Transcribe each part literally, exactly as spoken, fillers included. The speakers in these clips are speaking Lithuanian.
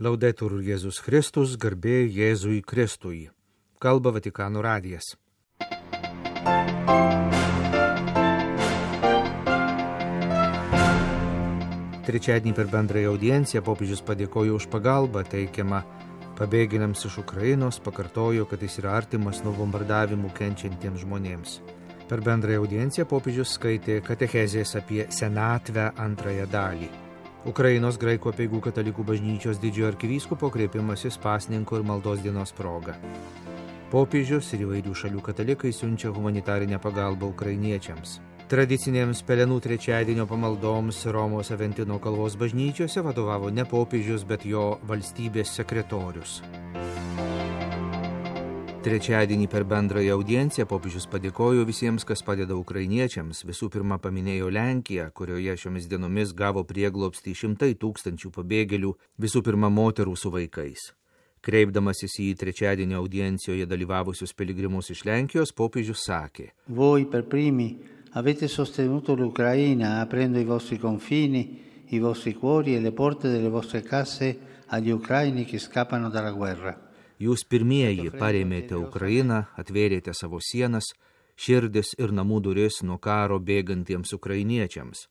Laudetur Jėzus Kristus, garbė Jėzui Kristui. Kalba Vatikano radijas. Trečiadienį per bendrąją audienciją popiežius padėkojo už pagalbą teikiamą pabėgėliams iš Ukrainos, pakartojo, kad jis yra artimas nuo bombardavimų kenčiantiems žmonėms. Per bendrąją audienciją popiežius skaitė katechezės apie senatvę antrąją dalį. Ukrainos graikų apeigų katalikų bažnyčios didžiojo arkivyskupo kreipimasis pasninko ir maldos dienos proga. Popiežius ir įvairių šalių katalikai siunčia humanitarinę pagalbą ukrainiečiams. Tradicinėms pelenų trečiadienio pamaldoms Romos Aventino kalvos bažnyčiose vadovavo ne popiežius, bet jo valstybės sekretorius. Trečiadienį per bendrąją audienciją popiežius padėkojo visiems, kas padeda ukrainiečiams. Visų pirma paminėjo Lenkiją, kurioje šiomis dienomis gavo prieglobstį šimtai tūkstančių pabėgėlių, visų pirma moterų su vaikais. Kreipdamasis į trečiadienio audiencijoje dalyvavusius piligrimus iš Lenkijos, popiežius sakė: Voi per primi avete sostenuto l'Ucraina aprendo i vostri confini, i vostri cuori e le porte delle vostre case agli ucraini che scappano dalla guerra. Jūs pirmieji parėmėte Ukrainą, atvėrėte savo sienas, širdis ir namų duris nuo karo bėgantiems ukrainiečiams.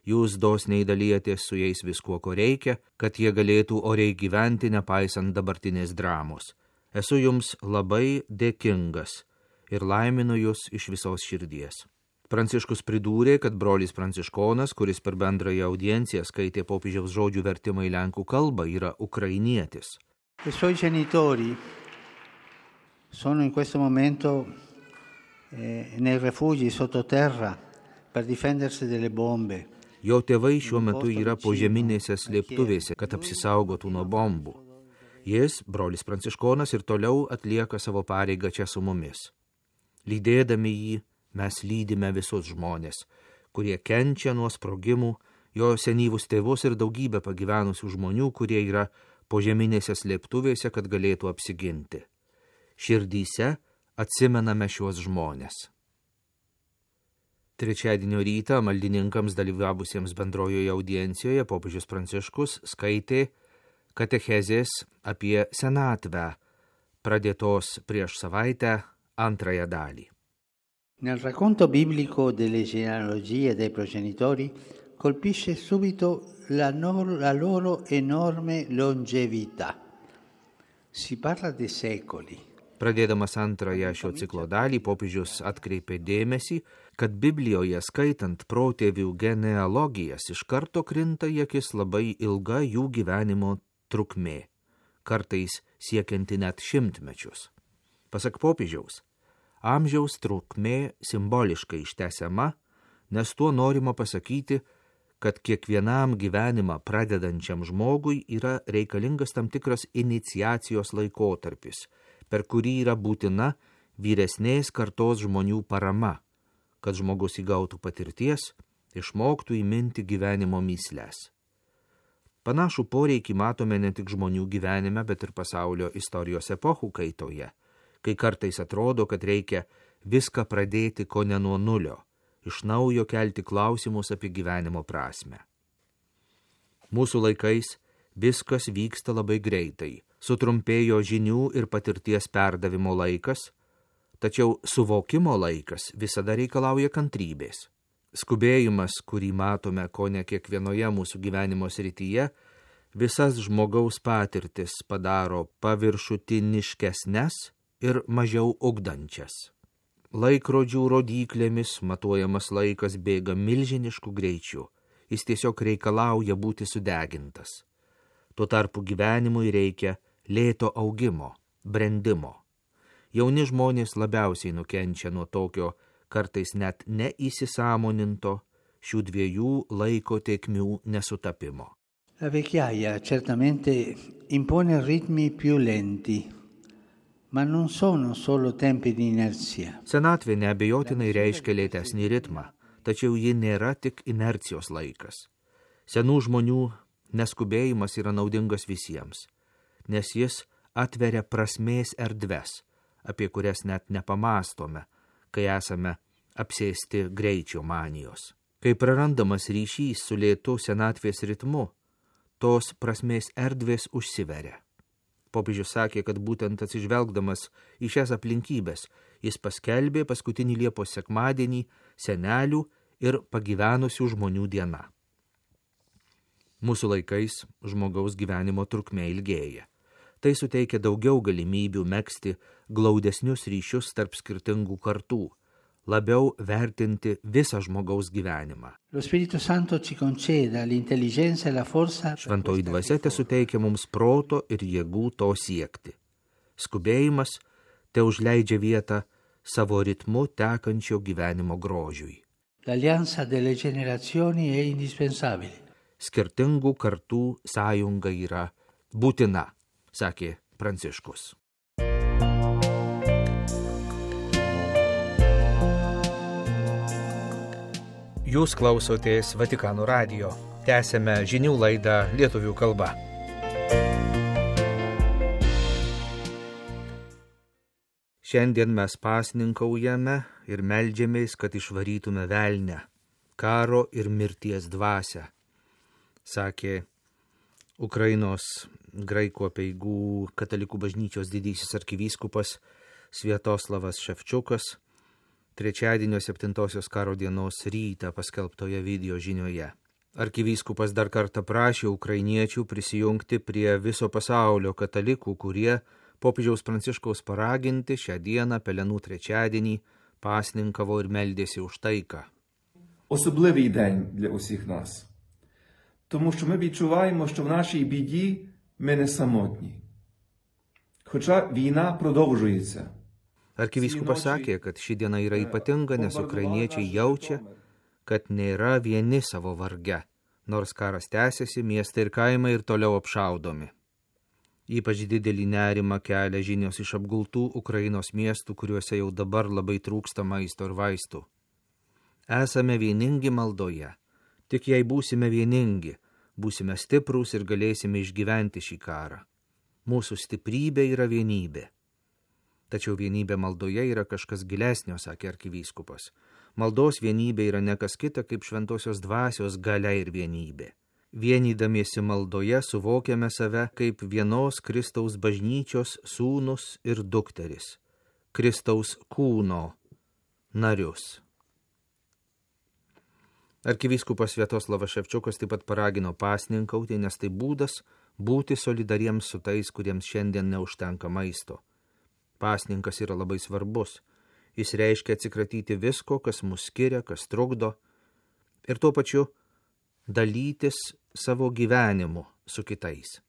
Jūs dosniai dalijatės su jais viskuo, ko reikia, kad jie galėtų oriai gyventi, nepaisant dabartinės dramos. Esu jums labai dėkingas ir laiminu jūs iš visos širdies. Pranciškus pridūrė, kad brolis Pranciškonas, kuris per bendrąją audienciją skaitė popiežiaus žodžių vertimą į lenkų kalbą, yra ukrainietis. I suoi genitori sono in questo momento eh, nei rifugi sottoterra per difendersi delle bombe. Jo tėvai šiuo metu yra požeminėse slėptuvėse, kad apsisaugotų nuo bombų. Jis, brolis Pranciškonas, ir toliau atlieka savo pareigą čia su mumis. Lydėdami jį, mes lydime visus žmonės, kurie kenčia nuo sprogimų, jo senyvus tėvus ir daugybę pagyvenusių žmonių, kurie yra požeminėse slėptuvėse, kad galėtų apsiginti. Širdyse atsimename šiuos žmonės. Trečiadienio rytą maldininkams dalyvavusiems bendrojoje audiencijoje popiežius Pranciškus skaitė katechezės apie senatvę, pradėtos prieš savaitę antrąją dalį. Nel racconto biblico delle genealogie dei progenitori colpisce subito la, no- la loro enorme longevità. Si parla di secoli. Pradėdamas antrąją šio ciklo dalį, popiežius atkreipė dėmesį, kad Biblijoje skaitant protėvių genealogijas iš karto krinta į akis labai ilga jų gyvenimo trukmė, kartais siekianti net šimtmečius. Pasak popiežiaus, amžiaus trukmė simboliškai ištęsiama, nes tuo norima pasakyti, kad kiekvienam gyvenimą pradedančiam žmogui yra reikalingas tam tikras iniciacijos laikotarpis, per kurį yra būtina vyresnės kartos žmonių parama, kad žmogus įgautų patirties, išmoktų įminti gyvenimo mįsles. Panašų poreikį matome ne tik žmonių gyvenime, bet ir pasaulio istorijos epochų kaitoje, kai kartais atrodo, kad reikia viską pradėti ko ne nuo nulio, iš naujo kelti klausimus apie gyvenimo prasme. Mūsų laikais viskas vyksta labai greitai, sutrumpėjo žinių ir patirties perdavimo laikas, tačiau suvokimo laikas visada reikalauja kantrybės. Skubėjimas, kurį matome kone kiekvienoje mūsų gyvenimo srityje, visas žmogaus patirtis padaro paviršutiniškesnes ir mažiau ugdančias. Laikrodžių rodyklėmis matuojamas laikas bėga milžinišku greičiu, jis tiesiog reikalauja būti sudegintas. Tuo tarpu gyvenimui reikia lėto augimo, brendimo. Jauni žmonės labiausiai nukenčia nuo tokio, kartais net neįsisąmoninto, šių dviejų laiko tėkmių nesutapimo. La vecchiaia certamente impone ritmi più lenti. Ma non sono solo tempi di inerzia. Senatvė neabejotinai reiškia lėtesnį ritmą, tačiau ji nėra tik inercijos laikas. Senų žmonių neskubėjimas yra naudingas visiems, nes jis atveria prasmės erdves, apie kurias net nepamastome, kai esame apsėsti greičio manijos. Kai prarandamas ryšys su lėtu senatvės ritmu, tos prasmės erdvės užsiveria. Popiežius sakė, kad būtent atsižvelgdamas į šias aplinkybės jis paskelbė paskutinį Liepos sekmadienį senelių ir pagyvenusių žmonių diena. Mūsų laikais žmogaus gyvenimo trukmė ilgėja. Tai suteikia daugiau galimybių megzti glaudesnius ryšius tarp skirtingų kartų, labiau vertinti visą žmogaus gyvenimą. Šventoji dvasia tesuteikia mums proto ir jėgų to siekti. Skubėjimas te užleidžia vietą savo ritmu tekančio gyvenimo grožiui. Skirtingų kartų sąjunga yra būtina, sakė Pranciškus. Jūs klausotės Vatikano radijo. Tęsėme žinių laidą lietuvių kalba. Šiandien mes pasninkaujame ir meldžiamės, kad išvarytume velnę, karo ir mirties dvasią, sakė Ukrainos graikų apeigų katalikų bažnyčios didysis arkivyskupas Sviatoslavas Ševčiukas trečiadienio septintosios karo dienos rytą paskelbtoje video žinioje. Arkivyskupas dar kartą prašė ukrainiečių prisijungti prie viso pasaulio katalikų, kurie popiežiaus Pranciškaus paraginti šią dieną Pelenų trečiadienį pasninkavo ir meldėsi už taiką. Особливий день для усіх нас. Тому що ми відчуваємо, що в нашій біді ми не самотні. Хоча війна продовжується. Arkivyskupas sakė, kad ši diena yra ypatinga, nes ukrainiečiai jaučia, kad nėra vieni savo varge, nors karas tęsiasi, miestai ir kaimai ir toliau apšaudomi. Ypač didelį nerimą kelia žinios iš apgultų Ukrainos miestų, kuriuose jau dabar labai trūksta maisto ir vaistų. Esame vieningi maldoje. Tik jei būsime vieningi, būsime stiprūs ir galėsime išgyventi šį karą. Mūsų stiprybė yra vienybė. Tačiau vienybė maldoje yra kažkas gilesnio, sakė arkivyskupas. Maldos vienybė yra ne kas kita kaip šventosios dvasios galia ir vienybė. Vienydamiesi maldoje suvokiame save kaip vienos Kristaus bažnyčios sūnus ir dukteris, Kristaus kūno narius. Arkivyskupas Sviatoslavas Ševčiukas taip pat paragino pasninkauti, nes tai būdas būti solidariems su tais, kuriems šiandien neužtenka maisto. Pasninkas yra labai svarbus. Jis reiškia atsikratyti visko, kas mus skiria, kas trukdo, ir tuo pačiu dalytis savo gyvenimu su kitais.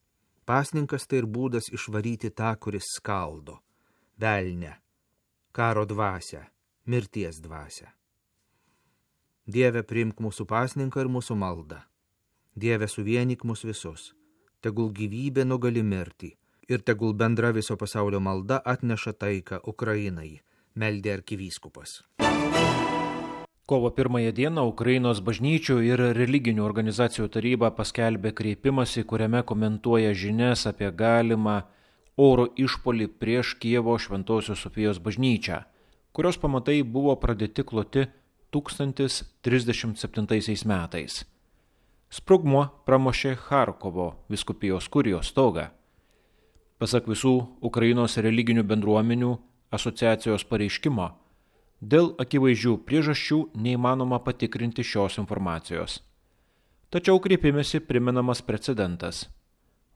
Pasninkas tai ir būdas išvaryti tą, kuris skaldo, velnę, karo dvasią, mirties dvasią. Dieve, priimk mūsų pasninką ir mūsų maldą. Dieve, suvienyk mus visus. Tegul gyvybė nugali mirtį. Ir tegul bendra viso pasaulio malda atneša taiką Ukrainai, meldė arkivyskupas. Kovo pirmąją dieną Ukrainos bažnyčių ir religinių organizacijų taryba paskelbė kreipimąsi, kuriame komentuoja žinias apie galimą oro išpuolį prieš Kijevo Šventosios Sofijos bažnyčią, kurios pamatai buvo pradėti kloti tūkstantis trisdešimt septintaisiais metais. Sprogmuo pramušė Charkovo vyskupijos kurijos stogą. Pasak visų Ukrainos religinių bendruomenių asociacijos pareiškimo, dėl akivaizdžių priežasčių neįmanoma patikrinti šios informacijos. Tačiau kreipimėsi primenamas precedentas.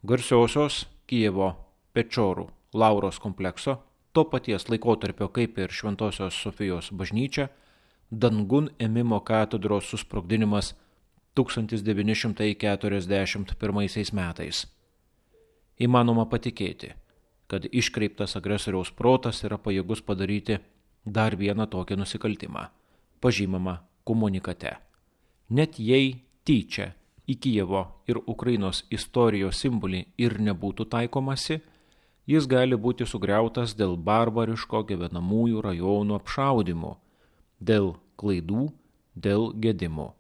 Garsiosios Kijevo Pečorų Lauros komplekso, to paties laikotarpio kaip ir Šventosios Sofijos bažnyčia, dangun ėmimo katedros susprogdinimas tūkstantis devyni šimtai keturiasdešimt pirmaisiais metais. Įmanoma patikėti, kad iškreiptas agresoriaus protas yra pajėgus padaryti dar vieną tokį nusikaltimą, pažymama komunikate. Net jei tyčia į Kijevo ir Ukrainos istorijos simbolį ir nebūtų taikomasi, jis gali būti sugriautas dėl barbariško gyvenamųjų rajonų apšaudimų, dėl klaidų, dėl gedimų.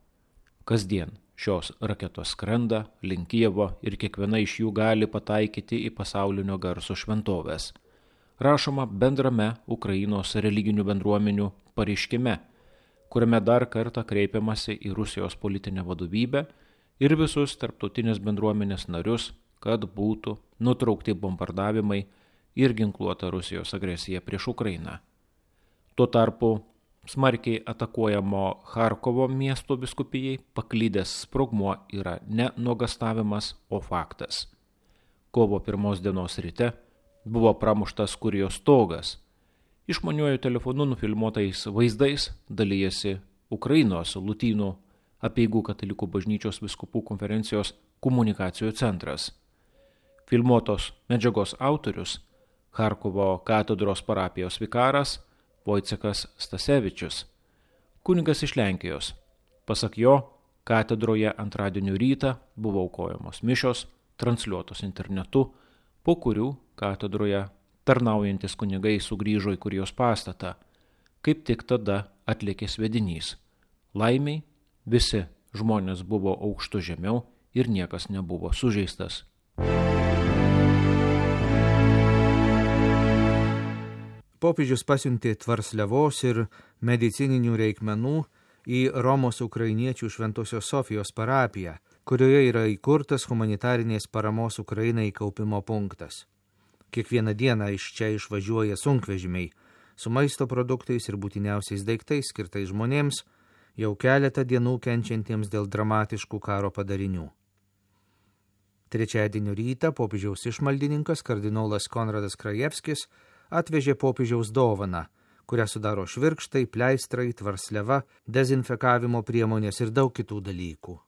Kasdien šios raketos skrenda link Kijevo ir kiekviena iš jų gali pataikyti į pasaulinio garso šventovės. Rašoma bendrame Ukrainos religinių bendruomenių pareiškime, kuriame dar kartą kreipiamasi į Rusijos politinę vadovybę ir visus tarptautinės bendruomenės narius, kad būtų nutraukti bombardavimai ir ginkluota Rusijos agresija prieš Ukrainą. Tuo tarpu smarkiai atakuojamo Charkovo miesto vyskupijai paklydęs sprogmuo yra ne nuogastavimas, o faktas. Kovo pirmos dienos ryte buvo pramuštas kurijos stogas. Išmaniuoju telefonu nufilmuotais vaizdais dalyjasi Ukrainos Lotynų apeigų katalikų bažnyčios vyskupų konferencijos komunikacijų centras. Filmuotos medžiagos autorius Charkovo katedros parapijos vikaras Vojcekas Stasevičius, kunigas iš Lenkijos. Pasak jo, katedroje antradienio rytą buvo aukojamos mišios, transliuotos internetu, po kurių katedroje tarnaujantis kunigai sugrįžo į kurijos pastatą. Kaip tik tada atlėkė sviedinys. Laimiai visi žmonės buvo aukštu žemiau ir niekas nebuvo sužeistas. Popiežius pasiuntė tvarsliavos ir medicininių reikmenų į Romos ukrainiečių Šventosios Sofijos parapiją, kurioje yra įkurtas humanitarinės paramos Ukrainai kaupimo punktas. Kiekvieną dieną iš čia išvažiuoja sunkvežimiai su maisto produktais ir būtiniausiais daiktais skirtais žmonėms, jau keletą dienų kenčiantiems dėl dramatiškų karo padarinių. Trečiadienio rytą popiežiaus išmaldininkas kardinolas Konradas Krajevskis atvežė popiežiaus dovaną, kurią sudaro švirkštai, pleistrai, tvarsliava, dezinfekavimo priemonės ir daug kitų dalykų.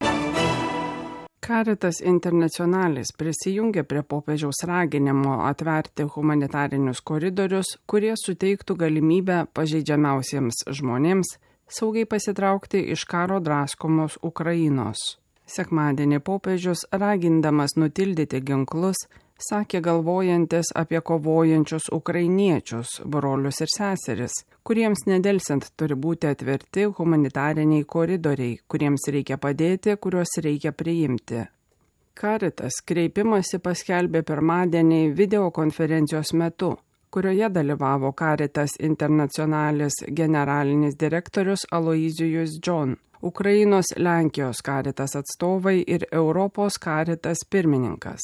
Caritas Internationalis prisijungė prie popiežiaus raginimo atverti humanitarinius koridorius, kurie suteiktų galimybę pažeidžiamiausiems žmonėms saugiai pasitraukti iš karo draskomos Ukrainos. Sekmadienį popiežius, ragindamas nutildyti ginklus, sakė galvojantis apie kovojančius ukrainiečius, brolius ir seseris, kuriems nedelsiant turi būti atverti humanitariniai koridoriai, kuriems reikia padėti, kuriuos reikia priimti. Caritas kreipimąsi paskelbė pirmadienį videokonferencijos metu, kurioje dalyvavo Caritas Internationalis generalinis direktorius Aloysius John, Ukrainos Lenkijos Caritas atstovai ir Europos Caritas pirmininkas.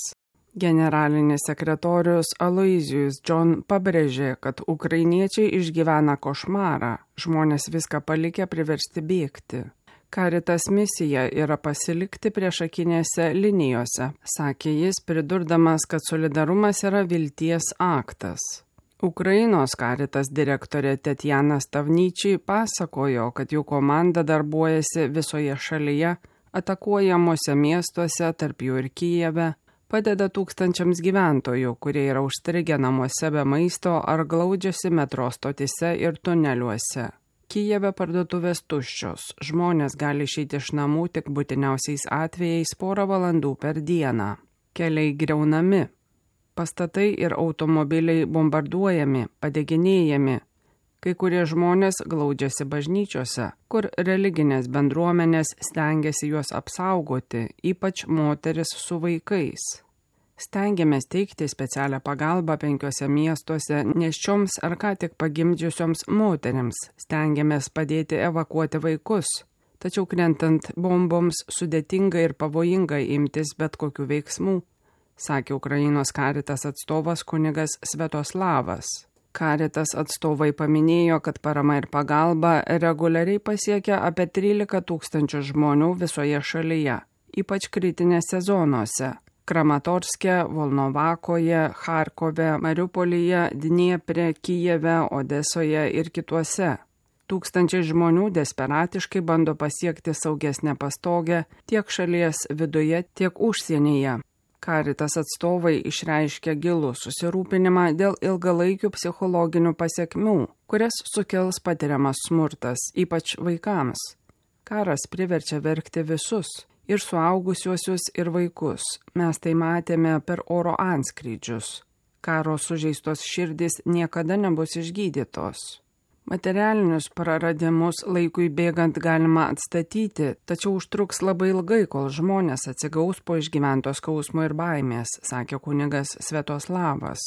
Generalinis sekretorius Aloysius John pabrėžė, kad ukrainiečiai išgyvena košmarą, žmonės viską palikę priversti bėgti. Caritas misija yra pasilikti priešakinėse linijose, sakė jis, pridurdamas, kad solidarumas yra vilties aktas. Ukrainos Caritas direktorė Tetjana Stavnyčiai pasakojo, kad jų komanda darbuojasi visoje šalyje, atakuojamuose miestuose, tarp jų ir Kijeve, padeda tūkstančiams gyventojų, kurie yra užstrigę namuose be maisto ar glaudžiasi metro stotise ir tuneliuose. Kijeve parduotuvės tuščios, žmonės gali išeiti iš namų tik būtiniausiais atvejais porą valandų per dieną. Keliai griaunami, pastatai ir automobiliai bombarduojami, padeginėjami. Kai kurie žmonės glaudžiasi bažnyčiose, kur religinės bendruomenės stengiasi juos apsaugoti, ypač moteris su vaikais. Stengiamės teikti specialią pagalbą penkiuose miestuose nėščioms ar ką tik pagimdžiusioms moterims, stengiamės padėti evakuoti vaikus, tačiau krentant bomboms sudėtinga ir pavojinga imtis bet kokių veiksmų, sakė Ukrainos Caritas atstovas kunigas Svetoslavas. Caritas atstovai paminėjo, kad parama ir pagalba reguliariai pasiekia apie trylika tūkstančių žmonių visoje šalyje, ypač kritinėse zonose – Kramatorske, Volnovakoje, Charkove, Mariupolyje, Dniepre, Kijeve, Odesoje ir kituose. Tūkstančiai žmonių desperatiškai bando pasiekti saugesnę pastogę tiek šalies viduje, tiek užsienyje. Caritas atstovai išreiškė gilų susirūpinimą dėl ilgalaikių psichologinių pasekmių, kurias sukels patiriamas smurtas, ypač vaikams. Karas priverčia verkti visus, ir suaugusiuosius, ir vaikus. Mes tai matėme per oro antskrydžius. Karo sužeistos širdys niekada nebus išgydytos. Materialinius praradimus laikui bėgant galima atstatyti, tačiau užtruks labai ilgai, kol žmonės atsigaus po išgyvento skausmo ir baimės, sakė kunigas Svetoslavas.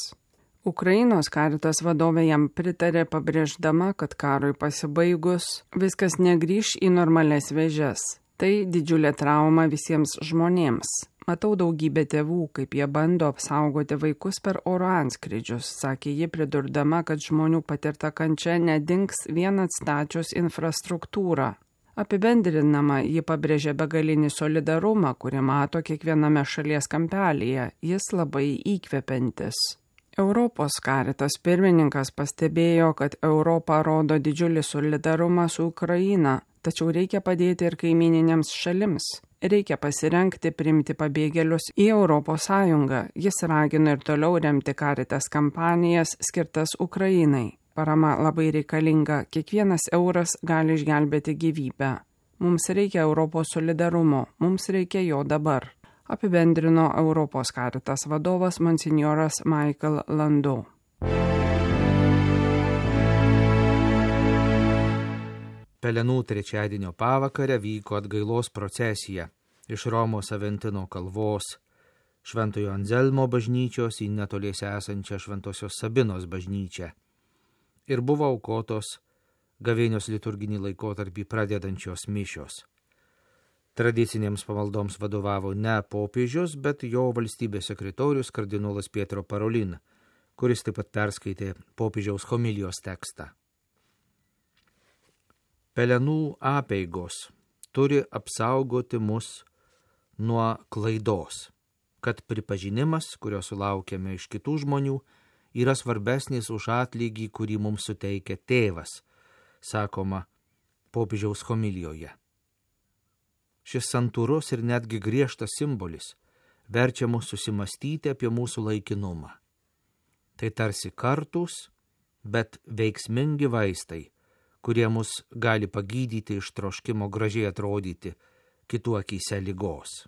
Ukrainos Caritas vadovė jam pritarė, pabrėždama, kad karui pasibaigus viskas negrįš į normalias vėžes. Tai didžiulė trauma visiems žmonėms. Matau daugybę tėvų, kaip jie bando apsaugoti vaikus per oro antskrydžius, sakė ji, pridurdama, kad žmonių patirta kančia nedings vien atstačius infrastruktūrą. Apibendrinama, ji pabrėžė begalinį solidarumą, kurį mato kiekviename šalies kampelyje. Jis labai įkvepiantis. Europos Caritas pirmininkas pastebėjo, kad Europa rodo didžiulį solidarumą su Ukraina, tačiau reikia padėti ir kaimininėms šalims. Reikia pasirengti priimti pabėgėlius į Europos Sąjungą. Jis ragino ir toliau remti Caritas kampanijas skirtas Ukrainai. Parama labai reikalinga, kiekvienas euras gali išgelbėti gyvybę. Mums reikia Europos solidarumo, mums reikia jo dabar. Apibendrino Europos Caritas vadovas monsinjoras Michael Landau. Pelenų trečiadienio pavakarę vyko atgailos procesija iš Romos Aventino kalvos, Šventojo Anzelmo bažnyčios į netoliese esančią Šventosios Sabinos bažnyčią ir buvo aukotos gavėnios liturginį laikotarpį pradedančios mišios. Tradicinėms pamaldoms vadovavo ne popiežius, bet jo valstybės sekretorius kardinolas Pietro Parolin, kuris taip pat perskaitė popiežiaus homilijos tekstą. Pelenų apeigos turi apsaugoti mus nuo klaidos, kad pripažinimas, kurio sulaukėme iš kitų žmonių, yra svarbesnis už atlygį, kurį mums suteikia tėvas, sakoma popiežiaus homilijoje. Šis santūrus ir netgi griežtas simbolis verčia mus susimastyti apie mūsų laikinumą. Tai tarsi kartūs, bet veiksmingi vaistai, kurie mus gali pagydyti iš troškimo gražiai atrodyti kitų akyse ligos.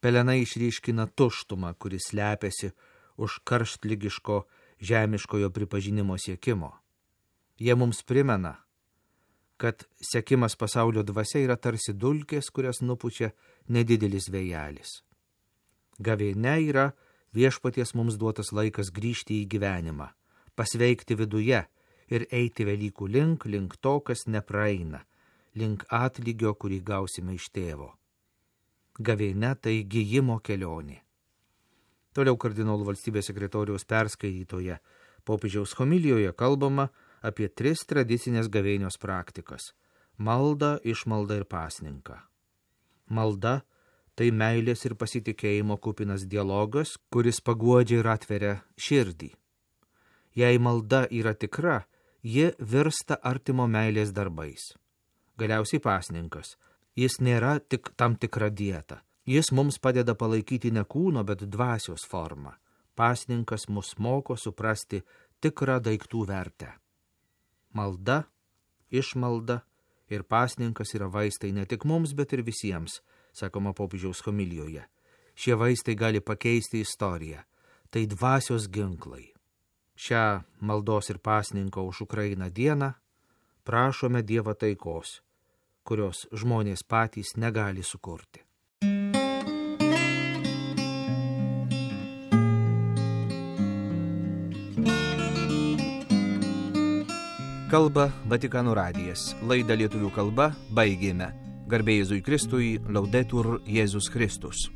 Pelenai išryškina tuštumą, kuris slepiasi už karštligiško žemiškojo pripažinimo siekimo. Jie mums primena, kad sekimas pasaulio dvasia yra tarsi dulkės, kurias nupučia nedidelis vėjelis. Gavėnia yra viešpaties mums duotas laikas grįžti į gyvenimą, pasveikti viduje ir eiti Velykų link, link to, kas nepraeina, link atlygio, kurį gausime iš tėvo. Gavėnia tai gijimo kelionė. Toliau kardinolų valstybės sekretoriaus perskaitytoje popiežiaus homilijoje kalbama apie tris tradicinės gavėnios praktikas – maldą, išmaldą ir pasninką. Malda – tai meilės ir pasitikėjimo kupinas dialogas, kuris paguodžia ir atveria širdį. Jei malda yra tikra, ji virsta artimo meilės darbais. Galiausiai pasninkas. Jis nėra tik tam tikra dieta. Jis mums padeda palaikyti ne kūno, bet dvasios formą. Pasninkas mus moko suprasti tikrą daiktų vertę. Malda, išmalda ir pasninkas yra vaistai ne tik mums, bet ir visiems, sakoma popiežiaus homilijoje. Šie vaistai gali pakeisti istoriją. Tai dvasios ginklai. Šią maldos ir pasninko už Ukrainą dieną prašome Dievo taikos, kurios žmonės patys negali sukurti. Kalba Vatikano radijas. Laidą lietuvių kalba baigėme. Garbė Jėzui Kristui, Laudetur Jėzus Kristus.